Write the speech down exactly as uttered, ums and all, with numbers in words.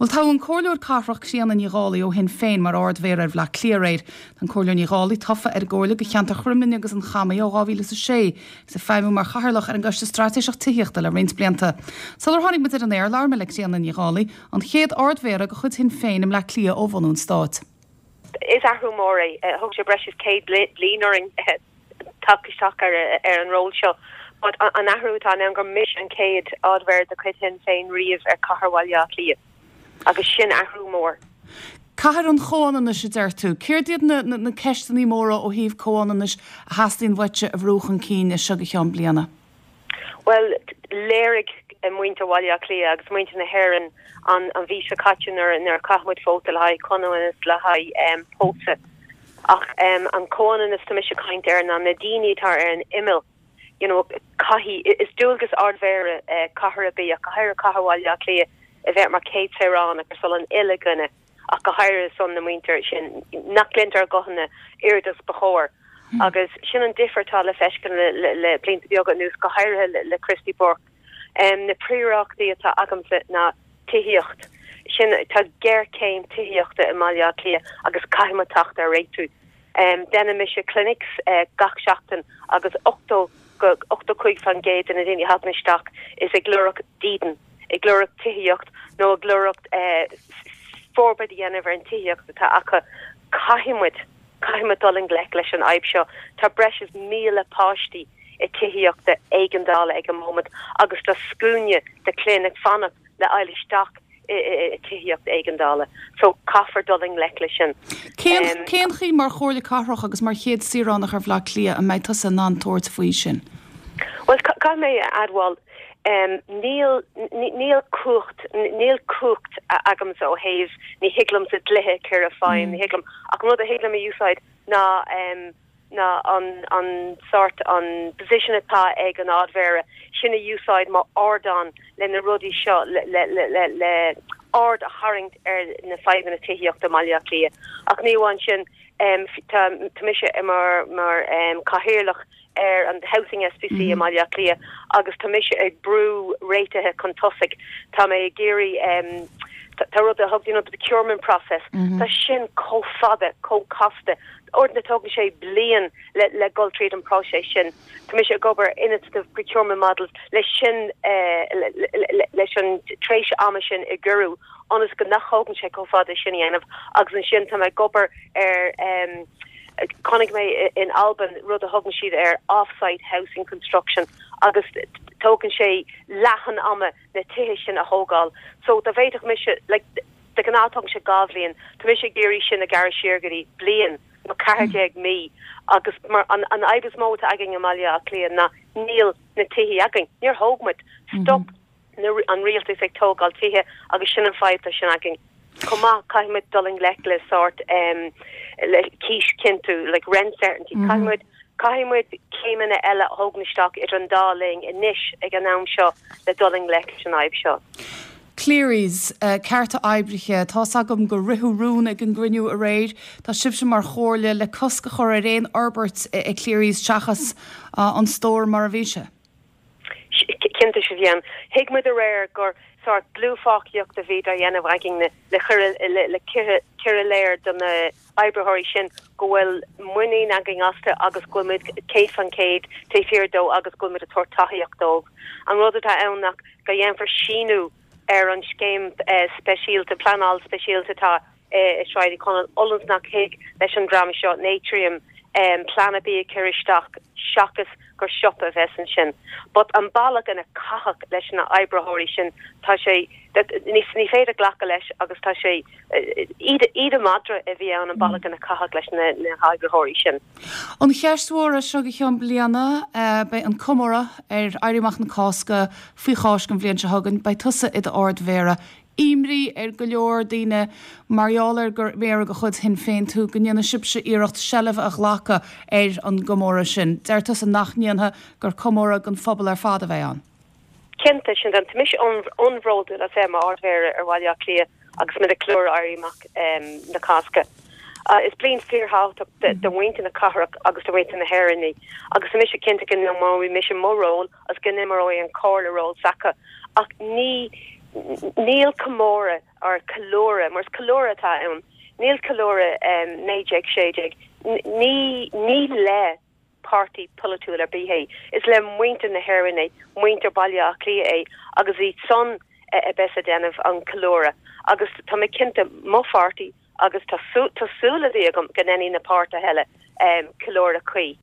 Well tá an Comhairleoir Cathrach Críona Ní Dhálaigh ó Shinn Féin mar Ard-Mhéara ar Bhaile Átha Cliath aréir. An Comhairleoir Ní Dhálaigh tofa ar an gcomhairle do cheantar Chromghlinne agus an Chamaigh ó dhá mhíle is a sé, is ag feidhmiú mar chathaoirleach ar an gCoiste Straitéiseach Tithíochta le roinnt blianta. Sular tháinig muid ar an aer labhair mé le Críona Ní Dhálaigh, an chéad Ard-Mhéara de chuid Shinn Féin i mBleá Cliath ó bhunú an stáit. Is athrú mór é thóg sé breis is céad bliain orainn teacht isteach ar ar an ról seo. But an athrú atá ann gur mise an chéad Ard-Mhéara de chuid Shinn Féin riamh ar Chathair Bhaile Átha Cliath. agus sin athrú mór. Cathair an chomhionannais a deir tú, Céard iad na, na, na ceisteanna móra ó thaobh comhionannais a theastaíonn uaitse a bhrú chun cinn as seo go ceann bliana. Well léirigh muintir Bhaile Átha Cliath agus muintir na hÉireann an an mhí seo caite nuair nuair chaith muid vóta le haghaidh comhionannas le haghaidh um, pósadh. Ach um, an comhionannas tá mise ag caint air ná na daoine atá ar an imeall you know, caithfidh is dualgas Ard-Mhéara uh, cathair bí a cathair Cathair Bhaile Átha Cliath a bheith mar céad saoránach ar son an uile dhuine ach go háirithe son na muintir sin nach gcluintear a nguthanna oiread is ba chóir. Hmm. agus sin an difear atá le feiscint le, le, le blianta beaga anuas go háirithe le, le Christy Burke. Um, na príomhrudaí atá agamsa ná tithíocht. Sin tá géarchéim tithíochta i mBaile Átha Cliath agus caithfidh teacht ar réiteach. Um, Déanann mise clinics uh, gach seachtain agus ochtó go ochtó cúig faoin gcéad de na daoine a thagann isteach is ag lorg dídean ag lorg tithíocht nó ag lorg uh, forbairt a dhéanamh ar an tithíocht atá acu caithfimid caithfimid dul i ngleic leis an fhadhb seo tá breis is míle páistí i tithíochta éigeandála ag an móment agus tá scuaine de chlann ag fanacht le fháil isteach i tithíocht éigeandála so caithfear dul i ngleic leis sin. Cén chaoi mar chomhairleoir cathrach agus mar chéad saoránach ar Bhaile Átha Cliath an mbeidh tusa in ann tabhairt faoi sin. Well caithfidh mé a admháil um, níl níl cumhacht níl cumhacht agamsa ó thaobh ní thig liomsa dlíthe a chur i bhfeidhm ní thig liom ach rud a thig liom a úsáid ná um, ná an an sort an position atá ag an Ard-Mhéara sin a úsáid mar ardán le na rudaí seo le le le le, le aird a tharraingt ar na fadhbanna tithíochta i mBaile Átha Cliath ach ní amháin sin um, tá mise mar mar um, cathaoirleach ar an Housing SPC mm -hmm. i mBaile Átha Cliath agus tá mise ag brú réitithe chun tosaigh tá mé ag iarraidh um, tá rud a thug you know, the procurement process mm -hmm. Tá sin chomh fada chomh casta uaireanta tógann sé bliain le le dul tríd an próiseas sin Tá mise ag obair innovative procurement models leis sin uh, leis an tréimhse ama sin a ghiorrú ionas go nach dtógann sé chomh fada sin dhéanamh agus ansin tá mé ag obair ar um, chonaic mé in Albain rud a thugann siad ar offsite housing construction agus tógann sé leath an ama na tithe sin a thógáil. So dá bhféadfadh mise like, de ghnáth tógann sé dhá bhliain, Tá mise ag iarraidh sin a ghearradh siar go dtí bliain nó ceathair déag mí agus mar an an fhadhb is mó againn i mBaile Átha Cliath ná níl na tithe againn. Níor thóg muid stop mm -hmm. an rialtas ag tógáil tithe agus sin an fadhb sin againn. Chomh maith caithfimid dul i ngleic le sort um, le cíoschinntiú like rent certainty mm -hmm. Caithfimid caithfimid céimeanna eile a thógáil isteach idir an dá linn anois ag an am seo le dul i ngleic leis an fhadhb seo. Cleary's uh, cearta oibrithe Tá agam go ritheadh rún ag an gcruinniú aréir Tá sibhse mar chomhairle le cosc a chur ar aon fhorbairt i Cleary's seachas uh, an stór mar a bhí sé. Cinnte sé bhían. Thuig muid aréir gur sort dlúthpháirtíocht a bhí á dhéanamh againn le le cur i léir do na oibritheoirí sin go bhfuil muinín againn astu agus go bhfuil céad faoin gcéad taobh thiar dóibh agus go bhfuil tabhairt tacaíocht dóibh. An rud atá ann ná go dhéanfar síniú ar an scéim uh, speisialta pleanáil speisialta tá uh, Sráid Uí Chonaill ionas nach thig leis an dream seo Natrium um, plean B a chur isteach seachas gur siopa a bheas ansin. But an bealach ina caitheadh leis na oibritheoirí sin tá sé ní ní féidir glacadh leis agus tá sé íde madra a bhí ann an bealach ina caitheadh leis na, na hoibritheoirí sin. An cheist mhór seo go ceann bliana beidh an comóradh ar Éirí Amach na Cásca faoi Cháisc an bhliain seo chugainn, beidh tusa i d'Ard-Mhéara. Imní ar go leor daoine mar gheall ar gur méara de chuid Shinn Féin tú go ndéanfaidh sibhse iarracht seilbh a ghlacadh ar an gcomóradh sin. Deir tusa nach ndéanfaidh gur comóradh don phobal ar fad a bheidh ann. Cinnte sin den tá mise an-bhródúil as bheith mar Ard-Mhéara ar Bhaile Átha Cliath agus muid ag ceiliúradh Éirí Amach um, na Cásca. Uh, is bliain fíorthábhachtach do mhuintir na cathrach agus do mhuintir na hÉireann agus tá mise cinnte go n-imreoidh mise mo ról agus go n-imreoidh an chomhairle ról s'acu ach ní Níl comóradh or ceiliúradh mar is ceiliúradh atá ann níl ceiliúradh um, naoi déag sé déag ní ní le páirtí polaitiúil ar bith é is le muintir na hÉireann é muintir Baile Átha Cliath é agus iad san a bheas ag déanamh an ceiliúradh agus tá mé cinnte mo pháirtí agus tá súil agam go ndéanfaidh na páirtithe eile um, ceiliúradh cuí.